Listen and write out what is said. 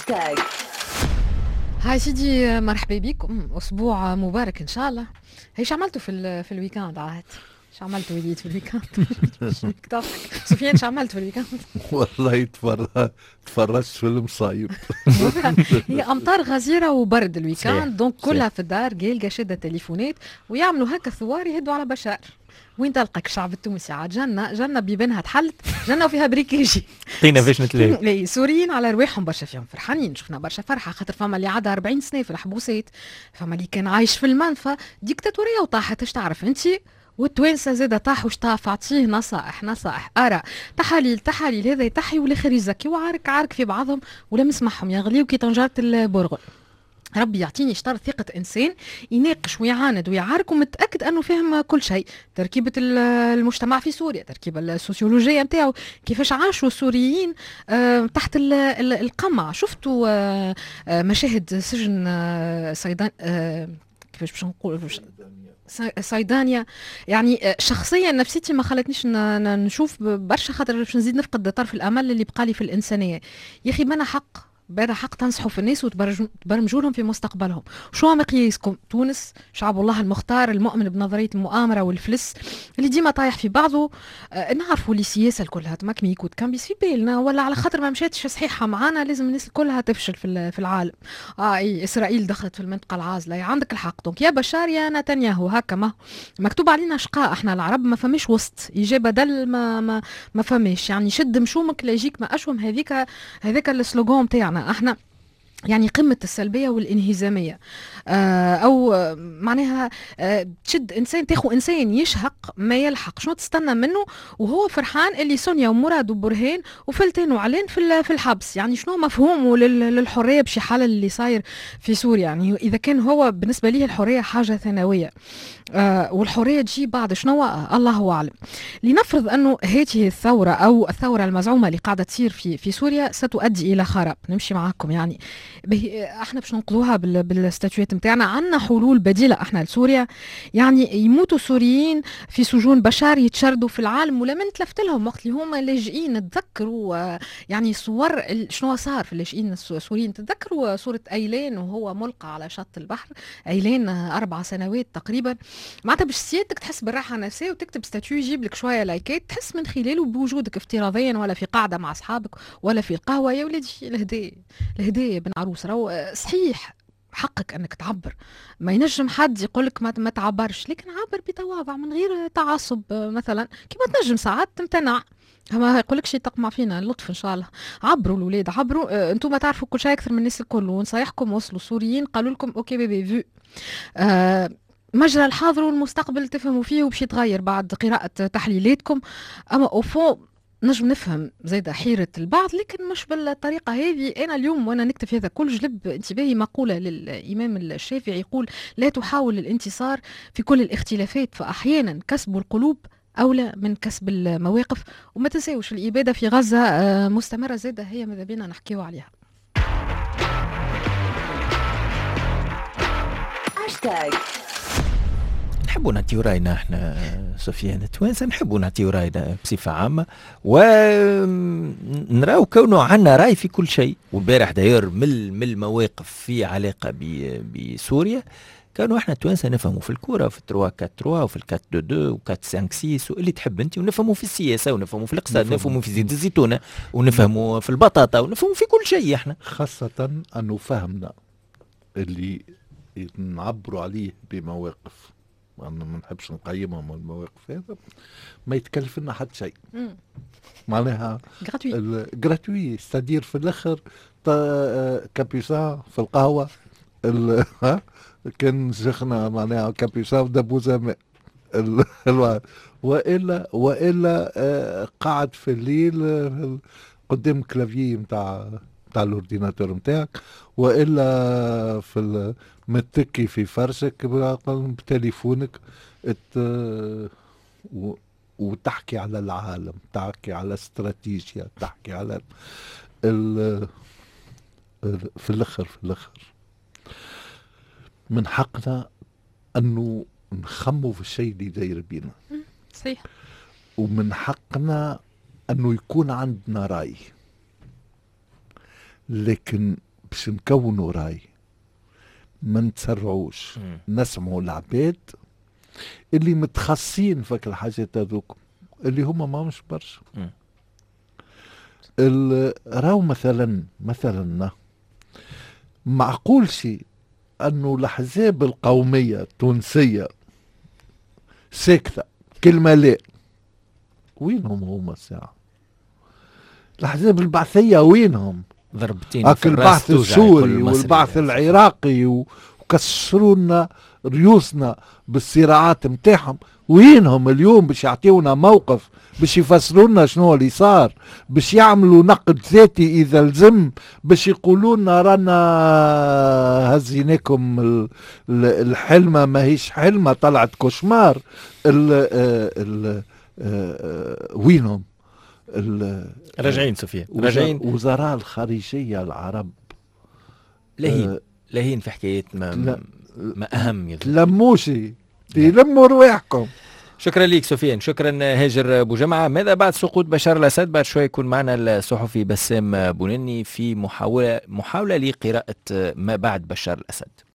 هاشتاج. هاي سيدي، مرحبا بكم، اسبوع مبارك ان شاء الله. هي شو عملتوا في ال week-end عاد؟ شو عملتوا وليد في ال week-end؟ سفيان، شو عملت في ال week-end؟ والله تفرجت في المصايب. هي امطار غزيرة وبرد ال week-end، donc كلها في الدار قالقه شاده تليفونات ويعملوا هكا ثوار يهدوا على بشار. وين تلقاك الشعب التونسي عاد؟ جنة جنة بيبانها تحلت، جنة وفيها briquet. لقينا فاش نتلاقي. سوريين على رواحهم برشا فيهم فرحانين، شفنا برشا فرحة خاطر فما اللي عدا 40 سنة في الحبوسات، فما اللي كان عايش في المنفى، ديكتاتورية وطاحت، اش تعرف انت؟ والتوانسه زاده طاحوا شطاف، عطية نصائح نصائح، اراء، تحاليل تحاليل، هذا يتحي والاخر يزكي، وعارك عارك في بعضهم ولا مسمعهم يغليو كي طنجرة البرغل. ربي يعطيني شطر ثقة إنسان يناقش ويعاند ويعارك ومتأكد أنه فهم كل شيء، تركيبة المجتمع في سوريا، تركيبة السوسيولوجية نتاعو، كيفاش عاشوا السوريين تحت القمع. شفتوا مشاهد سجن صيدان، كيفاش باش نقول، صيدانيا؟ يعني شخصيا نفسيتي ما خلتنيش نشوف برشا خاطر باش نزيد نفقد طرف الامل اللي بقالي في الانسانيه. يا اخي ما حق بدا حق تنصحوا في الناس وتبرمجوا لهم في مستقبلهم؟ شو مقياسكم؟ تونس شعب الله المختار المؤمن بنظرية المؤامرة والفلس اللي ديما طايح في بعضه. نعرفوا اللي السياسة كلها تمكميك وتكمبيس في بالنا، ولا على خاطر ما مشاتش صحيحه معانا لازم الناس كلها تفشل في العالم. اي اسرائيل دخلت في المنطقة العازله، عندك الحق. donc يا بشار يا نتنياهو، هكا ما مكتوب علينا شقاء احنا العرب، ما فماش وسط يجي بدل ما ما, ما فماش. يعني شد مشومك لا يجيك ما اشوم، هذاك ال slogan تاعنا احنا، يعني قمة السلبية والانهزامية، أو معناها تشد إنسان، تاخو إنسان يشهق ما يلحق، شنو تستنى منه وهو فرحان اللي سونيا ومراد وبرهان وفلتان وعلان في الحبس؟ يعني شنو مفهومه للحرية بشي حالة اللي صاير في سوريا؟ يعني إذا كان هو بالنسبة ليه الحرية حاجة ثانوية والحرية تجي بعد شنو، الله أعلم. لنفرض أنه هذه الثورة أو الثورة المزعومة اللي قاعدة تصير في سوريا ستؤدي إلى خراب، نمشي معاكم يعني احنا باش ننقذوها بال statut ات نتاعنا، عندنا حلول بديله احنا لسوريا؟ يعني يموتوا سوريين في سجون بشار، يتشردوا في العالم ولا من تلفت لهم وقت اللي هما لاجئين؟ تذكروا يعني صور شنو صار في اللاجئين السوريين، تذكروا صوره ايلان وهو ملقى على شط البحر، ايلان 4 سنوات تقريبا. معناتها باش سيادتك تحس بالراحة النفسية وتكتب statut يجيب لك شوية لايكات تحس من خلاله بوجودك افتراضيا ولا في قاعدة مع اصحابك ولا في القهوه. يا ولادي الهدايا الهدايا بن عروس، راهو صحيح حقك انك تعبر، ما ينجم حد يقولك ما تعبرش، لكن عبر بتواضع من غير تعصب. مثلا كيما تنجم ساعات تمتنع، ما يقولكش تقمع فينا اللطف ان شاء الله. عبروا الاولاد عبروا، انتم تعرفوا كل شيء اكثر من الناس الكل، ونصايحكم وصلوا السوريين قالوا لكم OK bébé vu. مجرى الحاضر والمستقبل تفهموا فيه وباش يتغير بعد قراءة تحليلاتكم. اما au fond نجم نفهم زايدة حيرة البعض، لكن مش بالطريقة هذه. أنا اليوم وأنا نكتب هذا كل جلب انتباهي مقولة للإمام الشافعي يقول: لا تحاول الانتصار في كل الاختلافات، فأحيانا كسب القلوب أولى من كسب المواقف. وما تنساوش الإبادة في غزة مستمرة زادة، هي ماذا بينا نحكيو عليها. هاشتاج. نحبوا نعطيو راينا احنا سفيان، التوانسة نحبوا نعطيو راينا بصفة عامة ونراو كونه عندنا راي في كل شيء. والبارح داير من المواقف في علاقة بسوريا، كانوا احنا التوانسة نفهموا في الكورة في 3 4 3 وفي 4 2 2 و 4 5 6 واللي تحب انت، ونفهموا في السياسة ونفهموا في الاقتصاد، نفهموا في زيت الزيتونه ونفهموا في البطاطا ونفهموا في كل شيء احنا. خاصة انه فهمنا اللي نعبروا عليه بمواقف، أنا ما نحبش نقيمهم المواقف هذا، ما يتكلف لنا حتى شيء، معناها gratuit، c'est-à-dire في الاخر capucin في القهوة كان شيخنا معناها كابوسان ودبوزه ماء والا قاعد في الليل قدام clavier نتاع ال ordinateur نتاعك، والا في متكي في فرشك بتليفونك وتحكي على العالم، تحكي على استراتيجيا، تحكي على في الاخر من حقنا انه نخمو في الشيء اللي داير بينا. صحيح. ومن حقنا انه يكون عندنا راي، لكن باش نكونوا راي ما نتسرعوش، نسمعوا العباد اللي متخصصين فك الحاجات هذوك اللي هما ماهمش برشا. راهو مثلا معقول شيء انه الاحزاب القومية التونسية ساكته كلمة لا، وينهم هما الساعة؟ الاحزاب البعثيه وينهم؟ ضربتين. هاك البعث السوري والبعث العراقي وكسروا لنا ريوسنا بالصراعات نتاعهم، وينهم اليوم باش يعطيونا موقف، باش يفسروا لنا شنو اللي صار، باش يعملوا نقد ذاتي اذا لزم، باش يقولوا لنا رانا هزيناكم الحلمة ماهيش حلمه طلعت cauchemar. ال ال وينهم؟ راجعين سفيان، راجعين. وزراء الخارجية العرب لهين لهين في حكايات ما اهم. تلموشي تلموا رواحكم. شكرا لك سفيان، شكرا هاجر بوجمعة. ماذا بعد سقوط بشار الأسد؟ بعد شوي يكون معنا الصحفي بسام بونني في محاولة لقراءة ما بعد بشار الأسد.